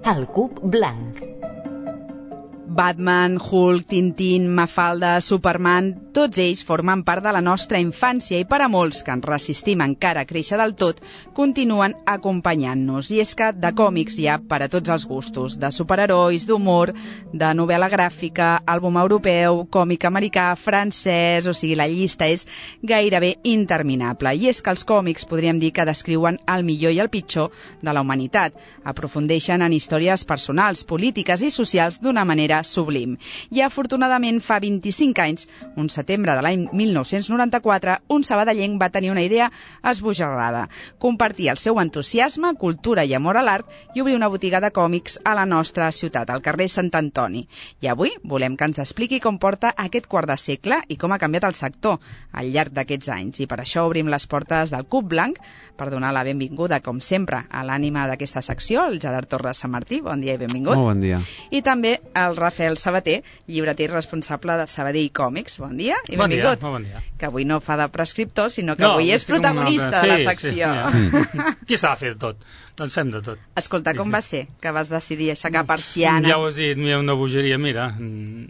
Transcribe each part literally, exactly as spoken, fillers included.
El cub blanc. Batman, Hulk, Tintín, Mafalda, Superman, tots ells formen part de la nostra infància i per a molts que ens resistim encara a créixer del tot, continuen acompanyant-nos. I és que de còmics hi ha per a tots els gustos, de superherois, d'humor, de novel·la gràfica, àlbum europeu, còmic americà, francès, o sigui, la llista és gairebé interminable. I és que els còmics podríem dir que descriuen el millor i el pitjor de la humanitat. Aprofundeixen en històries personals, polítiques i socials d'una manera sublim. I afortunadament fa vint-i-cinc anys, un setembre de l'any mil nou-cents noranta-quatre, un sabadellenc va tenir una idea esbojarrada: compartir el seu entusiasme, cultura i amor a l'art i obrir una botiga de còmics a la nostra ciutat, al carrer Sant Antoni. I avui volem que ens expliqui com porta aquest quart de segle i com ha canviat el sector al llarg d'aquests anys. I per això obrim les portes del Cub Blanc per donar la benvinguda, com sempre, a l'ànima d'aquesta secció, el Gerard Torres Sant Martí. Bon dia i benvingut. Molt bon dia. I també el Rafael Sabater, llibreter responsable de Sabadell Còmics. Bon dia i benvingut. Bon dia, bon dia. Que avui no fa de prescriptor, sinó que no, avui és protagonista de la secció. Sí, sí, qui s'ha de fer de tot? Doncs fem de tot. Escolta, com sí, sí. va ser que vas decidir aixecar persianes? Ja ho has dit, mira, una bogeria, mira.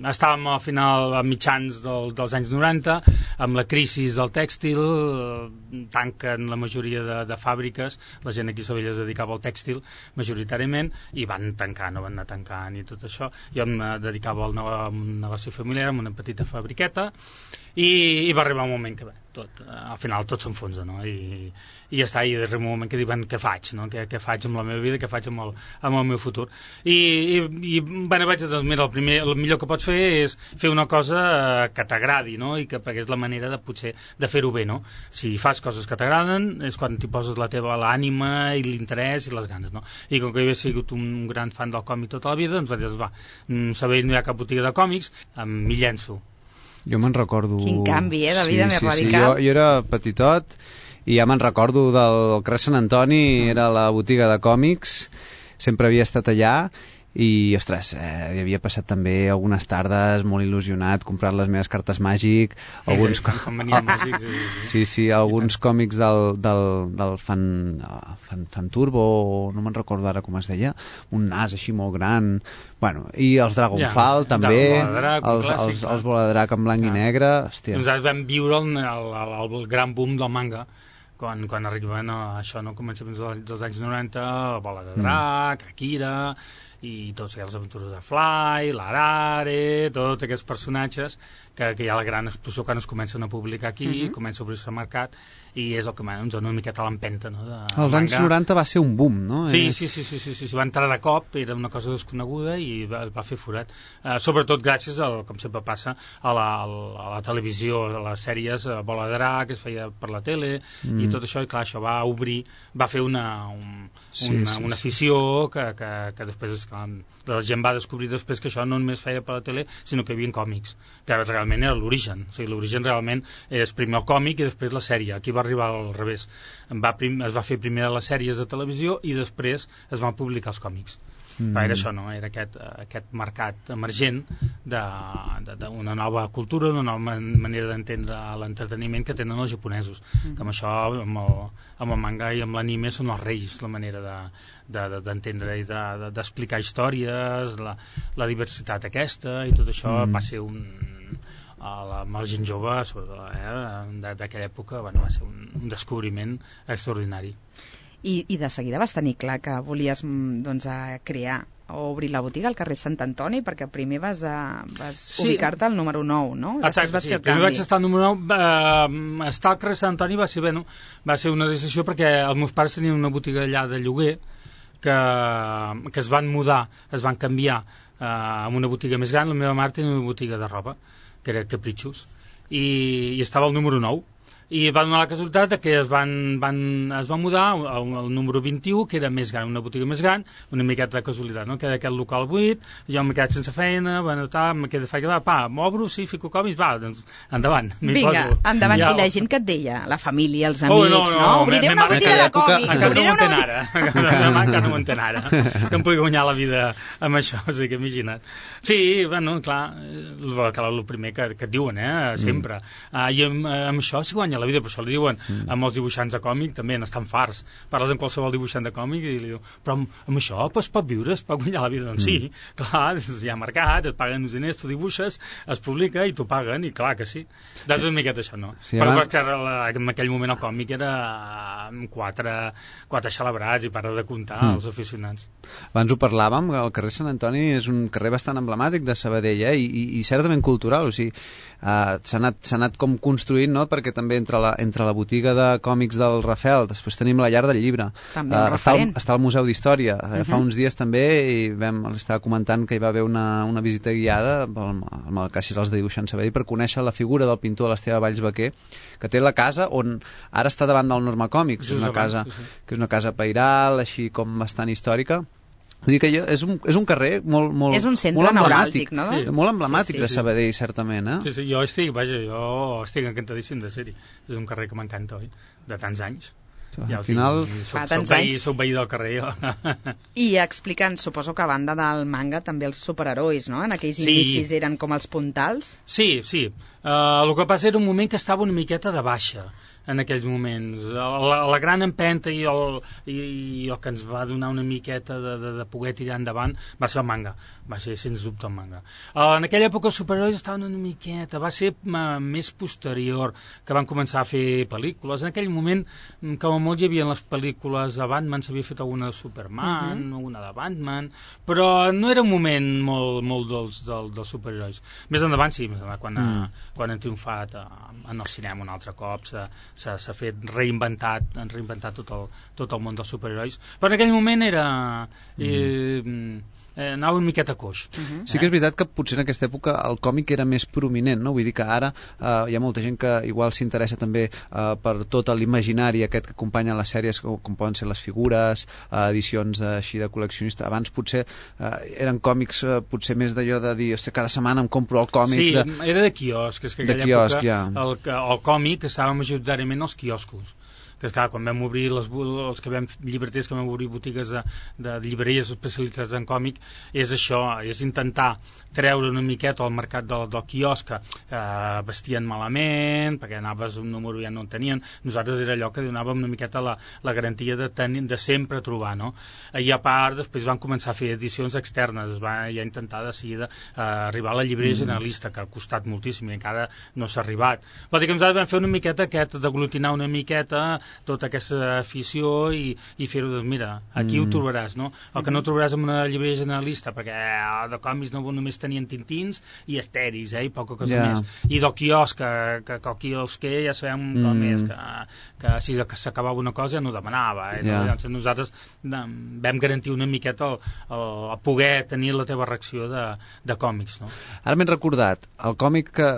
Estàvem al final, a mitjans del, dels anys noranta, amb la crisi del tèxtil, tanquen la majoria de, de fàbriques, la gent aquí a Sabadell es dedicava al tèxtil majoritàriament, i van tancar, no van anar tancant i tot això. Jo em dedicava al negoci familiar, amb una petita fabriqueta, i, i va arribar un moment que bé, tot, al final tot s'enfonsa, no? I, i ja està, i arriba un moment que diuen què faig, no? Què, què faig amb la meva vida, què faig amb el, amb el meu futur. I, i, i bueno, vaig dir, doncs mira, el, primer, el millor que pots fer és fer una cosa que t'agradi, no? I que és la manera de potser de fer-ho bé, no? Si fas coses que t'agraden és quan t'hi poses la teva l'ànima i l'interès i les ganes, no? I com que jo he sigut un gran fan del còmic tota la vida, doncs vaig dir, va, Sabadell no hi ha cap botiga de còmics, m'hi llenço. Jo me'n recordo... Quin canvi, eh, de vida sí, més sí, radical. Sí, jo, jo era petitot i ja me'n recordo del carrer Sant Antoni, era la botiga de còmics, sempre havia estat allà i, ostres, eh, havia passat també algunes tardes molt il·lusionat comprant les meves cartes màgic, alguns, com venien músics, sí, sí, sí, alguns còmics del, del, del fan, fan, fan Turbo, no me'n recordo ara com es deia, un nas així molt gran, bueno, i els Dragonfall ja, també, Drac, els, clàssic, els, els Voladrac en blanc ja. i negre, hòstia. Nosaltres vam viure el, el, el, el gran boom del manga, quan, quan arriben a això, no, començaments dels, dels anys noranta, Bola de Drac, mm. Akira, i tots els aventures de Fly, l'Arare, tots aquests personatges que, que hi ha la gran explosió quan es comencen a publicar aquí, uh-huh. comença a obrir-se al mercat, i és el que ens dona una miqueta l'empenta, no? De, els anys manga. noranta va ser un boom, no? Sí, sí, sí, sí, sí, sí, sí, va entrar de cop, era una cosa desconeguda i va, va fer forat. Uh, sobretot gràcies, al, com sempre passa, a la, a la televisió, a les sèries, a Bola de Drac, que es feia per la tele, mm. i tot això, i clar, això va obrir, va fer una, un, sí, una, sí, una afició que, que, que després, que la gent va descobrir després que això no només feia per la tele, sinó que hi havia còmics, que realment era l'origen. O sigui, l'origen realment és primer el còmic i després la sèrie. Aquí va arribar al revés. Va prim, es va fer primer les sèries de televisió i després es van publicar els còmics. Mm. Però era això, no? Era aquest, aquest mercat emergent d'una nova cultura, una nova manera d'entendre l'entreteniment que tenen els japonesos. Mm. Que amb això, amb el, amb el manga i amb l'anime són els reis, la manera de, de, de, d'entendre i de, de, d'explicar històries, la, la diversitat aquesta i tot això mm. va ser un... La, amb el gent jove eh, d'aquella època, bueno, va ser un, un descobriment extraordinari. I, I de seguida vas tenir clar que volies doncs, a crear o obrir la botiga al carrer Sant Antoni, perquè primer vas, a, vas sí. ubicar-te al número nou, no? Exacte, vas sí, primer vaig estar al número nou, eh, estar al carrer Sant Antoni va ser, bueno, va ser una decisió perquè els meus pares tenien una botiga allà de lloguer que, que es van mudar, es van canviar eh, amb una botiga més gran. La meva mare tenia una botiga de roba que era Caprichos, i, i estava al número nou. I va donar la casualitat que es van, van, es van mudar al, al número vint-i-u, que era més gran, una botiga més gran, una miqueta de casualitat, no? Queda aquest local buit, jo m'he quedat sense feina, bueno, tal, me queda feina, va, pa, m'obro, sí, fico còmics, va, doncs, endavant. Vinga, poso. endavant. Ja... I la gent que et deia, la família, els amics, oh, no, no, no, obriré una botiga de còmics. Encara no ho entén ara, encara no ho entén ara, que em pugui guanyar la vida amb això, o sigui que imagina't. Sí, bueno, clar, el, el primer que, que et diuen, eh, sempre. Mm. Uh, I amb, amb això s'hi guanya guanyar la vida, per això li diuen mm. amb els dibuixants de còmic també n'estan farts. Parles amb qualsevol dibuixant de còmic i li diu, però amb, amb això es pot viure, es pot guanyar la vida? Doncs mm. sí, clar, hi ha mercat, et paguen uns diners, tu dibuixes, es publica i t'ho paguen, i clar que sí. Doncs una miqueta això, no? Sí, però abans... perquè en aquell moment el còmic era quatre, quatre celebrats i para de comptar mm. els aficionats. Abans ho parlàvem, el carrer Sant Antoni és un carrer bastant emblemàtic de Sabadell, eh? I, i, i certament cultural, o sigui, uh, s'ha anat, s'ha anat com construint, no? Perquè també entre la, entre la botiga de còmics del Rafel, després tenim la llar del llibre, també uh, està, el, està el Museu d'Història, uh, uh-huh. fa uns dies també i vam, estava comentant que hi va haver una, una visita guiada amb, amb el Caixes als de Dibuixant Sabadell per conèixer la figura del pintor l'Esteve Valls Baquer, que té la casa on ara està davant del Norma Còmics, és una casa, sí, sí. que és una casa pairal, així com bastant històrica. Vull dir que jo, és, un, és un carrer molt, molt, és un centre molt emblemàtic, no? Sí. Molt emblemàtic sí, sí, sí, de Sabadell, sí. certament. Eh? Sí, sí, jo estic, vaja, jo estic encantadíssim de ser-hi. És un carrer que m'encanta, oi? De tants anys. Ja, al final... Soc, soc, veí, soc veí del carrer, jo. I explicant, suposo que a banda del manga, també els superherois, no? En aquells sí. inicis eren com els puntals? Sí, sí. Uh, el que passa era un moment que estava una miqueta de baixa en aquells moments. La, la gran empenta i el, i, i el que ens va donar una miqueta de, de, de poder tirar endavant va ser el manga, va ser sens dubte el manga. Uh, en aquella època els superherois estaven una miqueta, va ser uh, més posterior que van començar a fer pel·lícules. En aquell moment, com a molt hi havia les pel·lícules de Batman, s'havia fet alguna de Superman, uh -huh. una de Batman, però no era un moment molt, molt dels, dels, dels superherois. Més endavant sí, més endavant, quan, uh, quan han triomfat uh, en el cinema un altre cop, s'ha s'ha fet reinventat, han reinventat tot el, tot el món dels superherois, però en aquell moment era eh, eh, anava una miqueta coix. Uh-huh. Sí que és veritat que potser en aquesta època el còmic era més prominent, no? Vull dir que ara eh, hi ha molta gent que igual s'interessa també eh, per tot l'imaginari aquest que acompanya les sèries, com, com poden ser les figures, eh, edicions així de col·leccionista. Abans potser eh, eren còmics eh, potser més d'allò de dir, hòstia, cada setmana em compro el còmic. Sí, de... era de quiosc, és que en aquella quiosc, època ja. el, el còmic estava majoritàriament als quioscos, que clar, quan vam obrir les, els que vam, llibreters que vam obrir botigues de, de llibreries especialitzades en còmic, és això, és intentar treure una miqueta al mercat del, del quiosc que eh, vestien malament perquè anaves un número ja no en tenien. Nosaltres era allò que donàvem una miqueta la, la garantia de, tenir, de sempre trobar, no? I a part després van començar a fer edicions externes, es va ja intentar de seguida eh, arribar a la llibreria mm. generalista, que ha costat moltíssim i encara no s'ha arribat. Vol dir que nosaltres vam fer una miqueta aquest d'aglutinar una miqueta tota aquesta afició i, i fer-ho, doncs mira, aquí mm. ho trobaràs, no? El que no trobaràs en una llibreria generalista, perquè eh, de còmics no només tenien tintins i estèris, eh, i poca cosa yeah. més. I del quiosc, que, que, que el quiosquer ja sabem mm. com és, que, que si s'acabava una cosa no demanava, eh? Yeah. Llavors nosaltres vam garantir una miqueta el, el, el poder tenir la teva reacció de, de còmics, no? Ara m'he recordat, el còmic que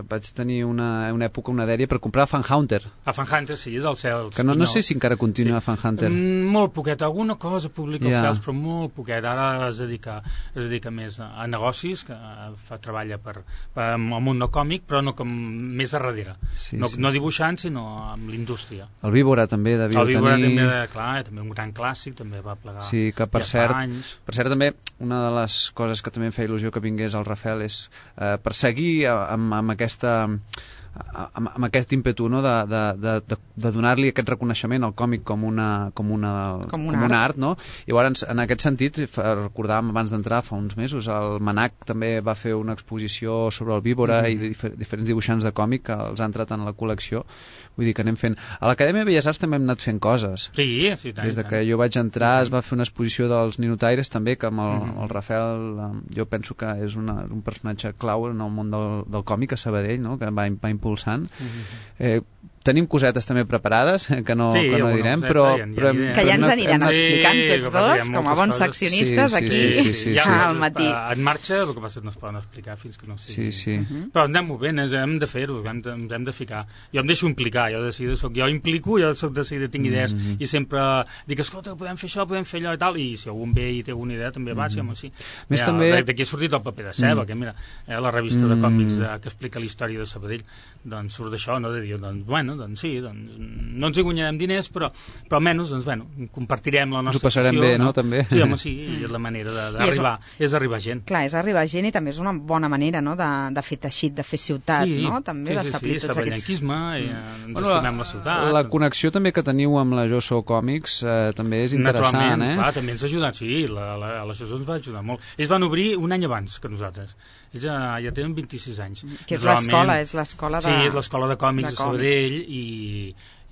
vaig tenir una, una època, una dèria per comprar Fan Hunter. A Fan Hunter, sí, del cel. Que no, no sé si encara continua sí. Fan Hunter. Mm, molt poquet, alguna cosa publica yeah. els cels, però molt poquet. Ara es dedica, es dedica més a, a negocis, que fa, treballa per, per el món no còmic, però no com més a darrere. Sí, no, sí, no dibuixant, sinó amb l'indústria. El Víbora també devíeu tenir... El Víbora tenir... també, clar, també un gran clàssic, també va plegar sí, que per ja cert, anys. Per cert, també, una de les coses que també em feia il·lusió que vingués al Rafel és eh, perseguir amb, amb aquesta... Amb, amb aquest ímpetu, no? de, de, de, de donar-li aquest reconeixement al còmic com una, com una, com una, com una art. art, no? I llavors, en aquest sentit, recordàvem abans d'entrar fa uns mesos, el Manac també va fer una exposició sobre el Víbora mm. i de difer diferents dibuixants de còmic que els han entrat en la col·lecció. Vull dir que anem fent... A l'Acadèmia de Belles Arts també hem anat fent coses. Sí, sí, tant. Des de que jo vaig entrar es va fer una exposició dels Ninotaires també, que amb el, mm. el Rafael jo penso que és una, un personatge clau en el món del, del còmic a Sabadell, no? Que va, va impulsant. Mm-hmm. eh, tenim cosetes també preparades que no, sí, que no direm, però, ja, però, ja, que ja ens aniran hem... explicant tots dos, com a bons seccionistes sí, sí, aquí sí, sí, sí, sí. al matí. En marxa, el que passa és que no es poden explicar fins que no sigui. Sí, sí. Uh-huh. Però anem movent, hem de fer-ho, hem, de, hem de ficar. Jo em deixo implicar, jo decido, soc, jo implico, jo soc decidit, tinc idees, mm-hmm. i sempre dic, escolta, podem fer això, podem fer allò i tal, i si algun ve i té alguna idea també va, mm-hmm. sí, home, sí. Més mira, també... D'aquí ha sortit el paper de Ceba, mm-hmm. que mira, eh, la revista mm-hmm. de còmics de, que explica la història de Sabadell, doncs surt d'això, no? De dir, doncs, bueno, bueno, doncs sí, doncs, no ens hi guanyarem diners, però, però almenys, doncs, bueno, compartirem la nostra ens ho passarem afició, bé, no, també? Sí, home, sí, és la manera d'arribar, és, és arribar gent. Clar, és arribar gent i també és una bona manera, no?, de, de fer teixit, de fer ciutat, sí, no?, també sí, d'establir sí, sí, tots aquests... saballanquisme, i, eh, ens bueno, estimem la ciutat. La connexió també que teniu amb la Jo Sou Còmics eh, també és interessant, Naturalment, eh? clar, també ens ha ajudat, sí, la, la, la Jo Sou ens va ajudar molt. Ells van obrir un any abans que nosaltres. Ells ja, ja tenen vint-i-sis anys. Que és l'escola, és l'escola de... Sí, és l'escola de còmics de, de Sabadell i,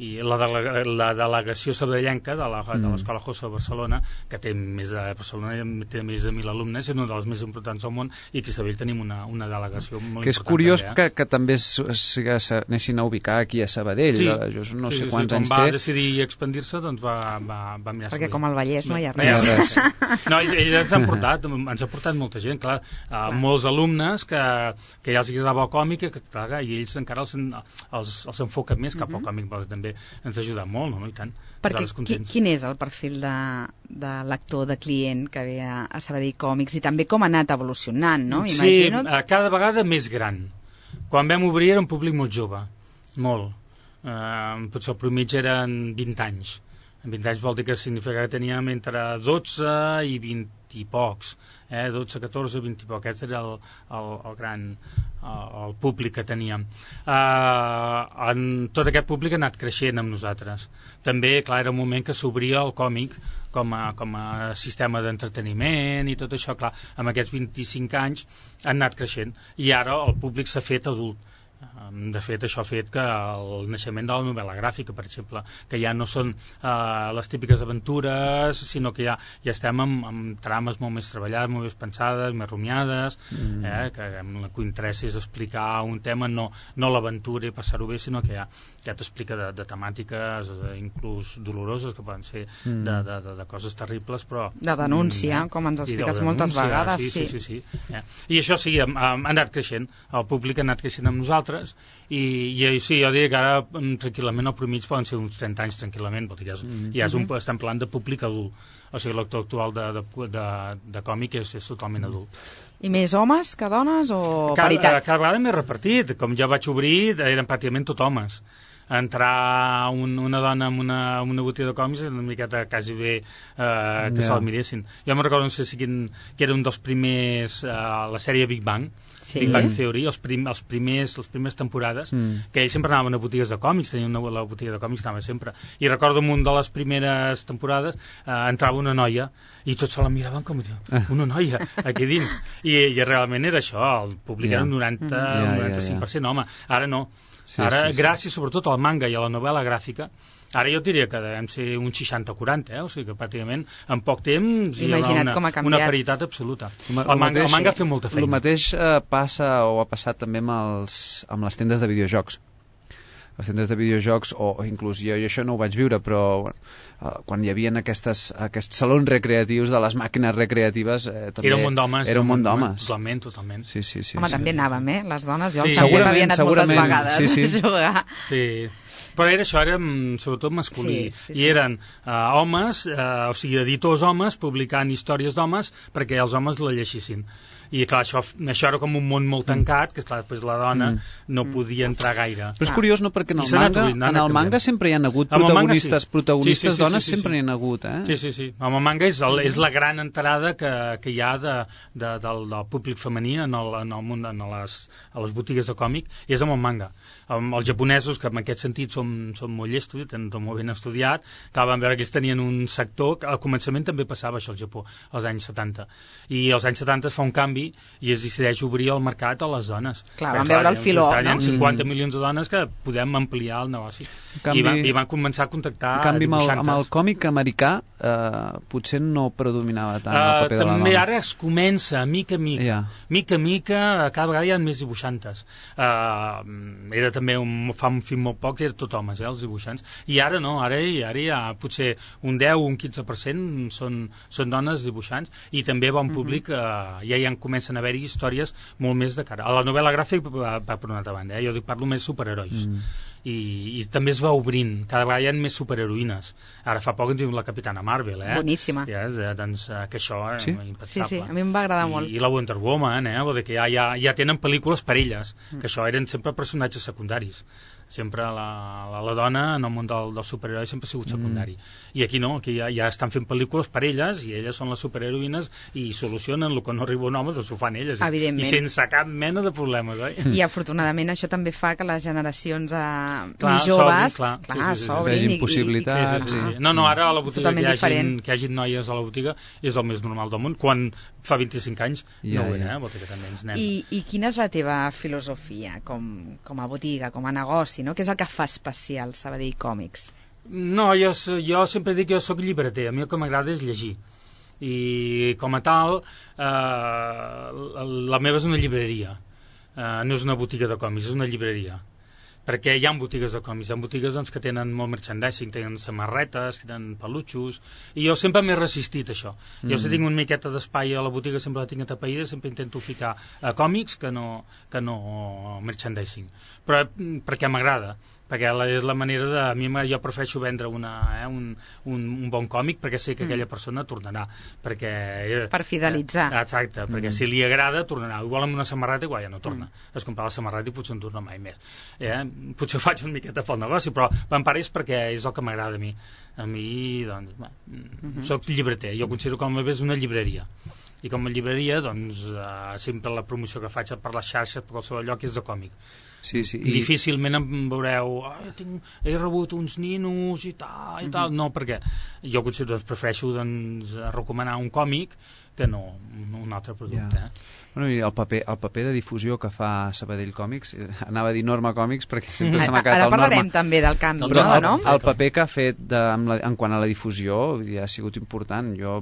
i la, delega, la delegació sabadellenca de l'escola mm. José de Barcelona, que té més de Barcelona té més de mil alumnes, és una de les més importants del món, i aquí a Sabadell tenim una, una delegació molt que és important. Curiós també, eh? que, que també s'anessin a ubicar aquí a Sabadell. Sí, jo no sí, sé sí, quants sí, anys va té. decidir expandir-se, doncs va, va, va mirar Perquè Sabadell. com al Vallès no hi ha No hi ha res. res. No, ells, ells ens han portat, ens ha portat molta gent, clar, uh, molts alumnes que, que ja els agradava el còmic, que, clar, i ells encara els, els, els enfoquen més cap al còmic, però també ens ha ajudat molt, no? I tant. Perquè qui, quin és el perfil de, de lector, de client que ve a, a Sabadell Còmics, i també com ha anat evolucionant, no? Sí, Imagino... cada vegada més gran. Quan vam obrir era un públic molt jove, molt. Uh, potser el promigi eren vint anys. vint anys vol dir que significa que teníem entre dotze i vint i pocs, eh? dotze, catorze, vint i poc. Aquest era el, el, el gran el, el públic que teníem. Uh, en tot aquest públic ha anat creixent amb nosaltres. També, clar, era un moment que s'obria el còmic com a, com a sistema d'entreteniment i tot això, clar, amb aquests vint-i-cinc anys han anat creixent, i ara el públic s'ha fet adult. De fet, això ha fet que el naixement de la novel·la gràfica, per exemple, que ja no són uh, les típiques aventures, sinó que ja, ja estem amb, amb trames molt més treballades, molt més pensades, més rumiades, mm. eh, que amb la que interessa és explicar un tema, no, no l'aventura i passar-ho bé, sinó que ja, ja t'explica de, de temàtiques eh, inclús doloroses, que poden ser mm. de, de, de, de coses terribles, però... De denúncia, mm, com ens expliques de moltes vegades. Sí, sí, sí. sí, sí. Eh? I això sí, ha, ha anat creixent, el públic ha anat creixent amb nosaltres, i, i sí, jo diria que ara tranquil·lament el promig poden ser uns trenta anys tranquil·lament, vol dir que ja, és, mm-hmm. ja és un, estem parlant de públic adult, o sigui, l'actor actual de, de, de, de còmic és, és totalment adult. I més homes que dones o cada, paritat? Cada vegada més repartit, com jo vaig obrir eren pràcticament tot homes. Entrar un, una dona en una, en una botiga de còmics una miqueta quasi bé eh, que yeah. se'l miressin. Jo me'n recordo, no sé si quin, que era un dels primers, eh, la sèrie Big Bang, sí. Big Bang Theory, els, prim, els primers, les primeres temporades, mm. que ells sempre anaven a botigues de còmics, tenien una, la botiga de còmics anava sempre. I recordo en una de les primeres temporades eh, entrava una noia i tots se la miraven com una noia aquí dins. I, i realment era això, el públic yeah. era un noranta, mm. yeah, un noranta-cinc per cent yeah, yeah. home. Ara no. Sí, ara, sí, sí. gràcies sobretot al manga i a la novel·la gràfica, ara jo diria que devem ser un seixanta quaranta, eh? O sigui que pràcticament en poc temps hi ha una, una paritat absoluta. El, el, manga, mateix, el manga ha fet molta feina. El mateix eh, passa o ha passat també amb, els, amb les tendes de videojocs. Les tendes de videojocs, o, o inclús jo, jo això no ho vaig viure, però bueno, eh, quan hi havia aquestes, aquests salons recreatius de les màquines recreatives eh, també era un món d'homes. Era un món d'homes. Totalment, totalment. Sí, sí, sí, Home, sí, també sí, anàvem, sí. eh? Les dones, jo sí. també havia anat moltes vegades sí, sí. a jugar. Sí, però era això, era sobretot masculí. Sí, sí, sí. I eren uh, homes, uh, o sigui, editors homes, publicant històries d'homes perquè els homes la llegissin. I clar, això, això era com un món molt tancat, que clar, després la dona mm. no podia entrar gaire. Però és curiós, no?, perquè en el manga, en el manga sempre hi ha hagut protagonistes, manga, sí. protagonistes sí, sí, sí, dones, sí, sí, sempre sí. hi ha hagut, eh? Sí, sí, sí. Amb el manga és, el, és la gran entrada que, que hi ha de, de, del, del públic femení en el, en el món, en les, a les botigues de còmic, i és amb el manga. Amb els japonesos, que en aquest sentit són, són molt llestos, tenen tot molt ben estudiat, que van veure que ells tenien un sector, que al començament també passava això al Japó, als anys setanta. I als anys setanta es fa un canvi i es decideix obrir el mercat a les dones. Clar, van veure el filó, no? Hi ha cinquanta milions de dones que podem ampliar el negoci. Canvi, I, van, I van començar a contactar en canvi, dibuixantes. Amb el, amb el còmic americà eh, potser no predominava tant uh, el paper de la dona. També ara es comença, mica a mica. Yeah. Mica a mica, cada vegada hi ha més dibuixantes. Uh, era també, un, fa un film molt poc, era tot homes, eh, els dibuixants. I ara no, ara, ara hi ha potser un deu o un quinze per cent són, són dones dibuixants, i també va un públic, uh, ja hi ha, comencen a haver històries molt més de cara. A la novel·la gràfica va, va per una altra banda, eh? Jo dic, parlo més superherois. Mm. I, I també es va obrint, cada vegada hi ha més superheroïnes. Ara fa poc en diu la Capitana Marvel, eh? Boníssima. Ja, doncs, que això és sí? impensable. Sí, sí, a mi em va agradar I, molt. I la Wonder Woman, eh? Vol dir que ja, ja, ja tenen pel·lícules per elles, mm. que això eren sempre personatges secundaris. sempre la, la, la dona en el món del, del superheroi sempre ha sigut secundari. Mm. I aquí no, aquí ja, ja estan fent pel·lícules per elles i elles són les superheroïnes i solucionen el que no arriba un home, doncs ho fan elles. I, i sense cap mena de problemes, oi? I afortunadament això també fa que les generacions eh, clar, més joves clar, clar, sí, sí, sí, s'obrin i, possibilitats. Sí, sí, sí, sí. No, no, ara a la botiga que hi, hagin, que hi hagi noies a la botiga és el més normal del món, quan fa vint-i-cinc anys ja, no ho era, ja. eh? Botiga també ens anem. I, I quina és la teva filosofia com, com a botiga, com a negoci, no? Què és el que fa especial Sabadell Còmics? No, jo, jo sempre dic que jo sóc llibreter, a mi el que m'agrada és llegir. I com a tal, eh, la meva és una llibreria, eh, no és una botiga de còmics, és una llibreria. Perquè hi ha botigues de còmics, hi ha botigues doncs, que tenen molt merchandising, tenen samarretes, tenen pelutxos, i jo sempre m'he resistit a això. Mm. Jo si tinc una miqueta d'espai a la botiga sempre la tinc atapeïda, sempre intento ficar a còmics que no, que no merchandising. Però perquè m'agrada, perquè la, és la manera de... A mi jo prefereixo vendre una, eh, un, un, un bon còmic perquè sé que mm. aquella persona tornarà. Perquè, eh, per fidelitzar. Eh, exacte, perquè mm. si li agrada tornarà. Igual amb una samarreta igual ja no torna. Mm. Es comprar la samarreta i potser no torna mai més. Eh? Potser ho faig una miqueta pel negoci, però en part és perquè és el que m'agrada a mi. A mi, doncs, bé, mm-hmm. soc llibreter. Jo considero que el meu és una llibreria. I com a llibreria, doncs, eh, sempre la promoció que faig per les xarxes, per qualsevol lloc, és de còmic. Sí, sí. I difícilment em veureu oh, tinc, he rebut uns ninos i tal, i tal. No, perquè jo considero, doncs, prefereixo doncs, recomanar un còmic que no un altre producte. Yeah. Eh? Bueno, i el paper, el paper de difusió que fa Sabadell Còmics, anava a dir Norma Còmics perquè sempre se m'ha quedat el Norma. Ara parlarem també del canvi, però no? El, no? el paper que ha fet de, en, la, en quant a la difusió ja ha sigut important. Jo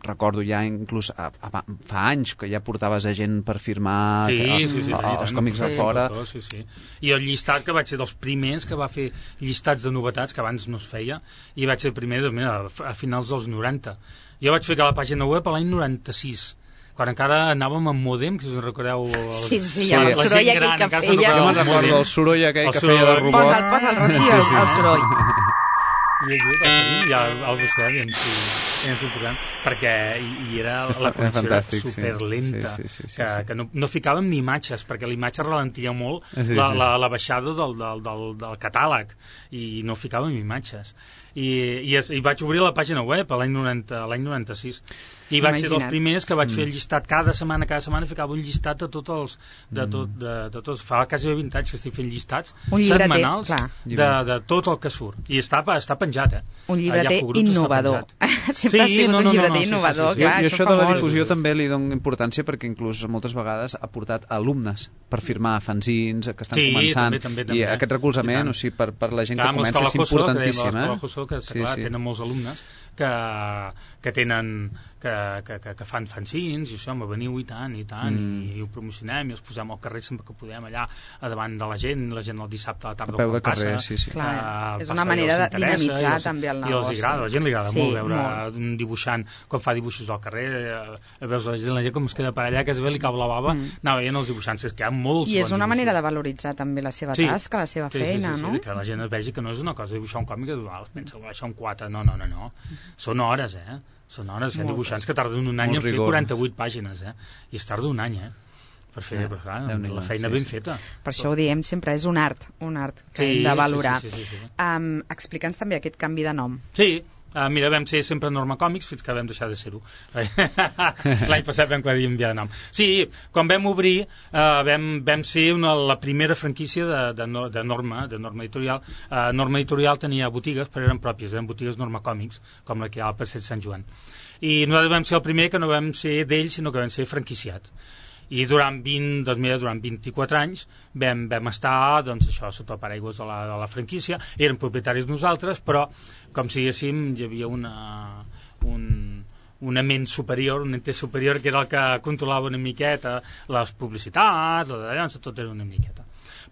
recordo ja inclús a, a, fa anys que ja portaves a gent per firmar sí, que, sí, sí, a, a, els còmics sí. de fora. Sí, sí. I el llistat que vaig ser dels primers que va fer llistats de novetats que abans no es feia, i vaig ser el primer doncs, mira, a finals dels noranta. Jo vaig ficar la pàgina web l'any noranta-sis, quan encara anàvem amb mòdem, que si us recordeu... El... Sí, sí, sí, el soroll aquell que feia... Jo me'n recordo el soroll aquell que feia de robot. Posa'l, posa'l, Rocío, sí, sí. el soroll. I el tenim, ja el buscarem, i si, ens ho trobem, perquè i, i era la connexió era superlenta, sí, sí, sí, sí, que, sí. que no, no ficàvem ni imatges, perquè la imatge ralentia molt sí, sí. La, la, la baixada del, del, del, del catàleg, i no ficàvem imatges. I, i, es, i vaig obrir la pàgina web l'any noranta-sis i vaig ser dels primers que vaig mm. fer el llistat cada setmana, cada setmana ficava un llistat de tots els de tot, de, de tots, fa quasi vint anys que estic fent llistats setmanals de, de tot el que surt i està, està penjat, eh? Un llibreter innovador. Sempre sí, ha sigut no, no, un llibreter no, no, innovador, sí, sí, sí. Clar, jo, això, això de la difusió també li dono importància perquè inclús moltes vegades ha portat alumnes per firmar fanzins que estan sí, començant també, també, també, i aquest recolzament, o sigui, per, per la gent clar, que comença és importantíssim, eh? Que, sí, clar, sí. tenen molts alumnes que, que tenen que, que, que, que fan fanzins i això, me veniu i tant i tant mm. i, i ho promocionem i els posem al carrer sempre que podem allà a davant de la gent, la gent el dissabte a la tarda a peu de passa, carrer, sí, sí. Clar, uh, és una manera de dinamitzar els, també el negoci. I els agrada, a la gent li agrada sí, molt veure molt. un dibuixant com fa dibuixos al carrer, a veus la gent, la gent com es queda per allà, que es ve li cau la bava mm. anava veient els dibuixants, és que hi ha molts i és una dibuixos. Manera de valoritzar també la seva sí. tasca, la seva sí, feina, sí, sí, no? Sí, que la gent es vegi que no és una cosa dibuixar un còmic que ah, es pensa, això un quatre, no, no, no, no. Són hores, eh? Són hores, hi ha dibuixants que tarden un any en fer quaranta-vuit pàgines, eh? I es tarda un any, eh? Per fer eh, però, clar, la feina sí, ben sí. feta. Per això ho diem sempre, és un art, un art que sí, hem de valorar. Sí, sí, sí, sí, sí. Um, Explica'ns també aquest canvi de nom. Sí, Uh, mira, vam ser sempre Norma Còmics fins que vam deixar de ser-ho. L'any passat vam canviar de nom. Sí, quan vam obrir uh, vam, vam ser una, la primera franquícia de, de, de Norma, de Norma Editorial. Uh, Norma Editorial tenia botigues, però eren pròpies, eren botigues Norma Còmics, com la que hi ha al Passeig Sant Joan. I nosaltres vam ser el primer que no vam ser d'ells, sinó que vam ser franquiciat. I durant vint, doncs mira, durant vint-i-quatre anys vam, vam estar doncs, això, sota el paraigües de la, de la franquícia, eren propietaris nosaltres, però com si diguéssim hi havia una, un, una ment superior, un ente superior que era el que controlava una miqueta les publicitats, llavors tot era una miqueta.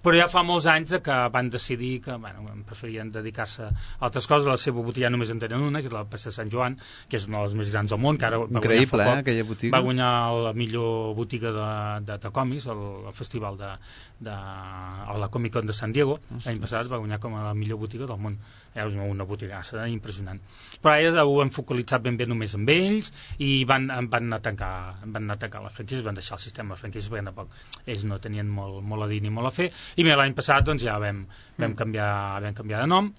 Però ja fa molts anys que van decidir que bueno, preferien dedicar-se a altres coses. La seva botiga només en tenen una, que és la Passeig Sant Joan, que és una de les més grans del món, que ara va increïble, guanyar, eh, aquella botiga. Va guanyar la millor botiga de, de, de còmics al, al festival de, de a la Comic Con de San Diego. L'any passat va guanyar com a la millor botiga del món. és una botigassa impressionant. Però ara ho hem focalitzat ben bé només amb ells i van, van, anar, a tancar, van anar a tancar les franquícies, van deixar el sistema de franquícies perquè tampoc ells no tenien molt, molt a dir ni molt a fer. I mira, l'any passat doncs, ja vam, vam, canviar, vam canviar de nom,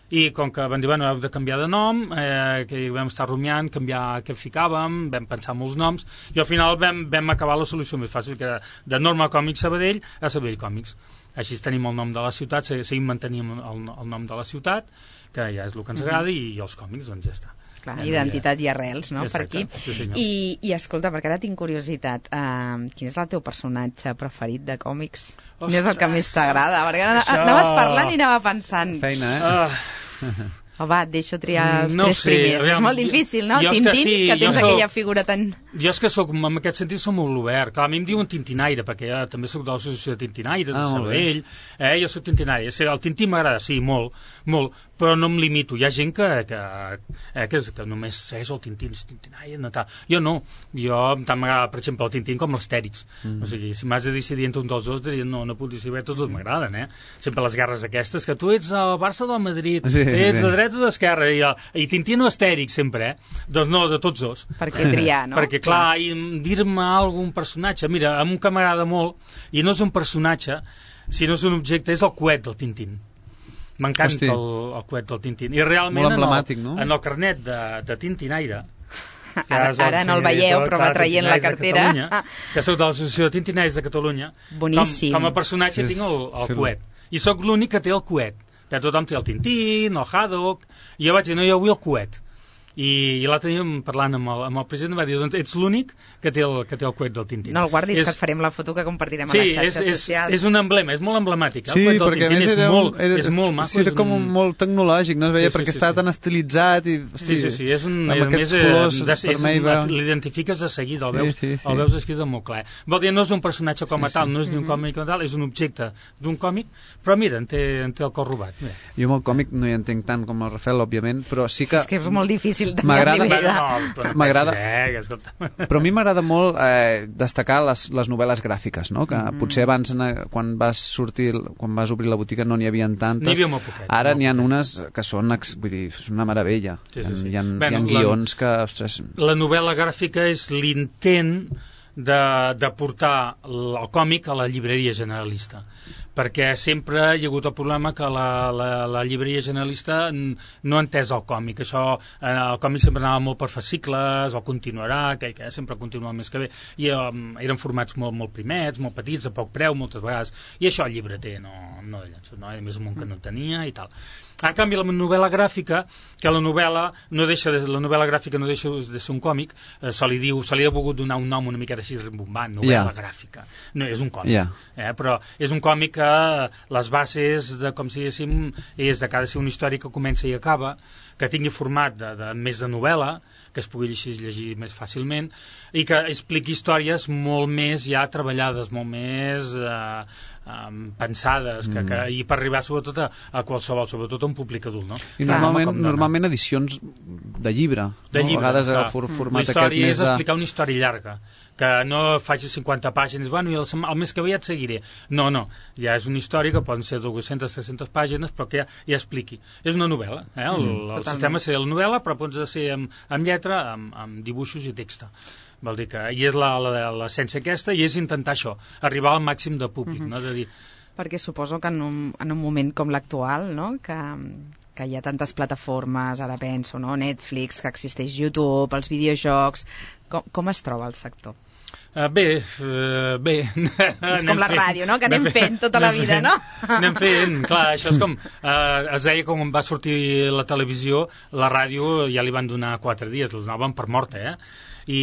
i com que van dir, bueno, hem de canviar de nom, eh, que vam estar rumiant, canviar què ficàvem, vam pensar molts noms, i al final vam, vam acabar la solució més fàcil, que era de Norma Còmics Sabadell a Sabadell Còmics. Així tenim el nom de la ciutat, seguim mantenim el, el nom de la ciutat, que ja és el que ens agrada, i, i els còmics, doncs ja està. Clar, identitat i arrels, no?, per aquí. Sí, I, I escolta, perquè ara tinc curiositat, uh, quin és el teu personatge preferit de còmics? Quin és el que més t'agrada? Perquè això... anaves parlant i anava pensant... Feina, eh? Uh... Oh, va, et deixo triar els no tres sé, primers. aviam, és molt difícil, no? Jo Tintín, que, sí, que tens soc, aquella figura tan... Jo és que soc, en aquest sentit, som molt obert. Clar, a mi em diuen tintinaire, perquè ja també soc de l'associació de tintinaires, ah, de Sabadell. Eh, jo soc tintinaire. El tintín m'agrada, sí, molt, molt, però no em limito. Hi ha gent que, que, eh, que, que només segueix el tintín, el tintinaire, no tal. Jo no. Jo tant m'agrada, per exemple, el tintín com l'Astèrix. Mm. O sigui, si m'has de decidir entre un dels dos, diria, no, no puc decidir, tots dos m'agraden, eh? Sempre les guerres aquestes, que tu ets al Barça o al Madrid, sí, ets sí. a dreta o d'esquerra, i, i tintín o Astèrix, sempre, eh? Doncs no, de tots dos. Per què triar, no? Perquè, clar, i dir-me algun personatge, mira, a un que m'agrada molt, i no és un personatge, sinó és un objecte, és el coet del Tintín. M'encanta el, el coet del Tintín. I realment, en el, no? en el carnet de, de tintinaire, ara, ara no el veieu, però va traient la cartera, que soc de l'Associació de Tintinaires de Catalunya, boníssim. Com, com a personatge sí, tinc el, el coet. I sóc l'únic que té el coet. Ja tothom té el Tintín, el Haddock, i jo vaig dir, no, jo vull el coet. I, i l'altre dia parlant amb el, amb el president va dir, doncs ets l'únic que té el, que té el coet del Tintín. No el guardis, és... que et farem la foto que compartirem sí, a les xarxes és, és, socials. és un emblema, és molt emblemàtic. Sí, el perquè a més és era, molt, era, és molt maco. Sí, era com un... molt tecnològic, no es veia, sí, sí, perquè sí, estava sí. tan estilitzat i... Hosti, sí, sí, sí, és un... amb aquests colors vermell... L'identifiques de seguida, el veus, sí, sí, sí. el veus escrit molt clar. Vol dir, no és un personatge com a sí, tal, no és ni un còmic com a tal, és un objecte d'un còmic, però mira, en té, en té el cor robat. Mira. Jo amb el còmic no hi entenc tant com el Rafael, òbviament, però sí que... És que és molt difícil de m'agrada, eh, però a mi m'agrada molt eh, destacar les, les novel·les gràfiques, no? Que mm. potser abans, quan vas sortir, quan vas obrir la botiga, no n'hi havia tantes. N'hi havia molt poquet. Ara n'hi ha unes que són, vull dir, és una meravella. Sí, sí, sí. Hi ha, bueno, hi ha guions la, que, ostres... La novel·la gràfica és l'intent de, de portar el còmic a la llibreria generalista, perquè sempre hi ha hagut el problema que la, la, la llibreria generalista no ha entès el còmic. Això, eh, el còmic sempre anava molt per fascicles, o continuarà, aquell que sempre continua el més que bé, i um, eren formats molt, molt primets, molt petits, a poc preu, moltes vegades, i això el llibreter no, no de llenço, no? A més un que no tenia i tal. En canvi, la novel·la gràfica, que la novel·la no deixa de, la novel·la gràfica no deixa de ser un còmic, eh, se li diu, se li ha volgut donar un nom una miqueta així rimbombant, novel·la yeah. gràfica. No, és un còmic, yeah. eh, però és un còmic que les bases, de, com si diguéssim, és de cada ser una història que comença i acaba, que tingui format de, de més de novel·la, que es pugui llegir, llegir més fàcilment, i que expliqui històries molt més ja treballades, molt més eh, eh, pensades, que, mm. que, i per arribar sobretot a, a qualsevol, sobretot a un públic adult, no? I clar, normalment, normalment edicions de llibre, de no? llibre, a vegades clar. el for, format la història aquest més és de... explicar una història llarga, que no faci cinquanta pàgines, bueno, i el, el mes que ve ja et seguiré. No, no, ja és una història que poden ser dues-centes, tres-centes pàgines, però que ja, ja expliqui. És una novel·la, eh? el, mm, el sistema seria la novel·la, però pots ser amb, amb lletra, amb, amb dibuixos i text. Vol dir que, i és l'essència aquesta, i és intentar això, arribar al màxim de públic, mm-hmm. no? És a dir, perquè suposo que en un, en un moment com l'actual, no? que, que hi ha tantes plataformes, ara penso, no? Netflix, que existeix YouTube, els videojocs, com, com es troba el sector? Uh, bé, uh, bé. És com la fent, ràdio, no? Que anem, anem fent tota la vida, fent, no? Anem fent, clar, això és com... Uh, es deia com va sortir la televisió, la ràdio ja li van donar quatre dies, la donaven per morta, eh? I,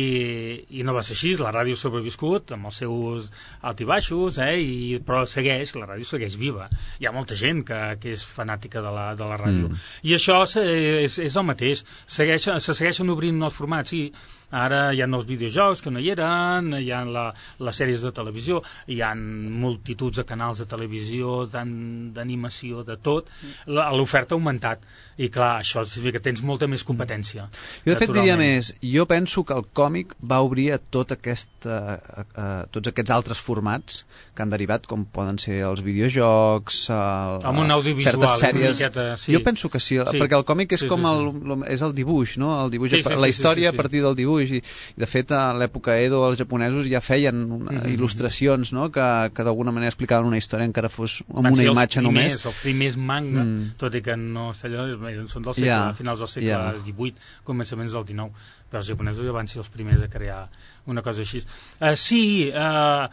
i no va ser així, la ràdio ha sobreviscut amb els seus alt i baixos, eh? I, però segueix, la ràdio segueix viva. Hi ha molta gent que, que és fanàtica de la, de la ràdio. Mm. I això és, és el mateix, segueix, se segueixen obrint nous formats, sí. Ara hi ha nous videojocs que no hi eren, cine, hi ha la, les sèries de televisió, hi ha multituds de canals de televisió, d'animació, de tot. L'oferta ha augmentat. I clar, això significa que tens molta més competència. Jo de fet diria més, jo penso que el còmic va obrir a tot aquest, a, a, a tots aquests altres formats que han derivat, com poden ser els videojocs, el, amb un audiovisual, certes sèries. Miqueta, sí. Jo penso que sí, sí, perquè el còmic és sí, com sí, el, sí. el, és el dibuix, no? El dibuix, sí, sí, la sí, història sí, sí, sí. a partir del dibuix, i, i de fet a l'època Edo els japonesos ja feien una, mm -hmm. il·lustracions, no? que, que d'alguna manera explicaven una història encara fos amb una imatge primers, només. Els primers manga, mm. tot i que no allò, són del segle, yeah. a finals del segle yeah. divuit, començaments del dinou, però els japonesos ja van ser els primers a crear una cosa així. Uh, sí, uh,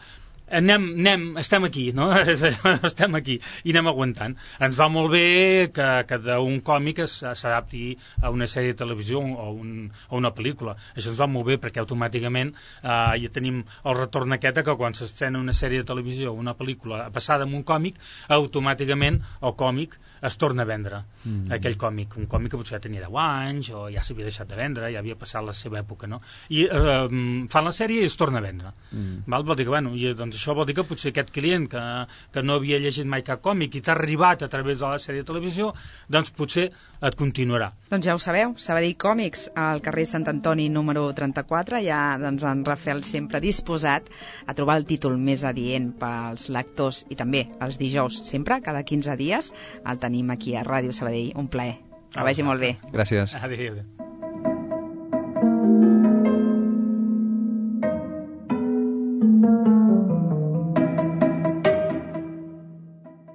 anem, anem, estem aquí, no? estem aquí i anem aguantant. Ens va molt bé que, que d'un còmic s'adapti a una sèrie de televisió o, un, o una pel·lícula. Això ens va molt bé perquè automàticament eh, ja tenim el retorn aquest que quan s'estrena una sèrie de televisió o una pel·lícula passada amb un còmic, automàticament el còmic es torna a vendre, mm. aquell còmic, un còmic que potser ja tenia deu anys o ja s'havia deixat de vendre, ja havia passat la seva època, no? I eh, fan la sèrie i es torna a vendre. Mm. Val? Vol dir que, bueno, i, doncs això vol dir que potser aquest client que, que no havia llegit mai cap còmic i t'ha arribat a través de la sèrie de televisió, doncs potser et continuarà. Doncs ja ho sabeu, Sabadell Còmics, al carrer Sant Antoni número trenta-quatre, ja doncs, en Rafael sempre disposat a trobar el títol més adient pels lectors i també els dijous, sempre, cada quinze dies, el tenim aquí a Ràdio Sabadell. Un plaer. Que vagi molt bé. Gràcies. Adéu.